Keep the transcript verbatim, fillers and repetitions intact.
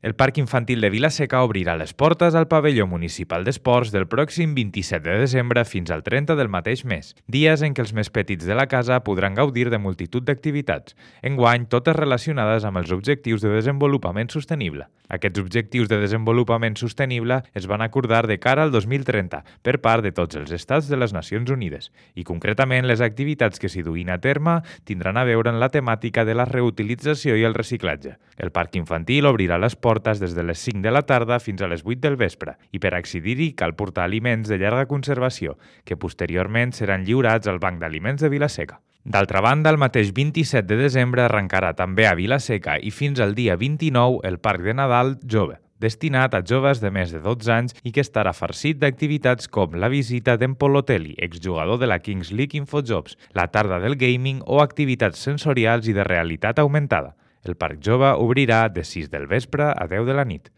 El Parc Infantil de Vila-seca obrirà les portes al pavelló municipal d'esports del pròxim vint-i-set de desembre fins al trenta del mateix mes, dies en què els més petits de la casa podran gaudir de multitud d'activitats, enguany totes relacionades amb els objectius de desenvolupament sostenible. Aquests objectius de desenvolupament sostenible es van acordar de cara al dos mil trenta per part de tots els estats de les Nacions Unides i concretament les activitats que s'hi duguin a terme tindran a veure en la temàtica de la reutilització i el reciclatge. El Parc Infantil obrirà les portes portes des de les cinc de la tarda fins a les vuit del vespre i per accedir-hi cal portar aliments de llarga conservació, que posteriorment seran lliurats al Banc d'Aliments de Vila-seca. D'altra banda, el mateix vint-i-set de desembre arrencarà també a Vila-seca i fins al dia vint-i-nou el Parc de Nadal Jove, destinat a joves de més de dotze anys i que estarà farcit d'activitats com la visita d'en Polotelli, exjugador de la Kings League Infojobs, la tarda del gaming o activitats sensorials i de realitat augmentada. El Parc Jove obrirà de sis del vespre a deu de la nit.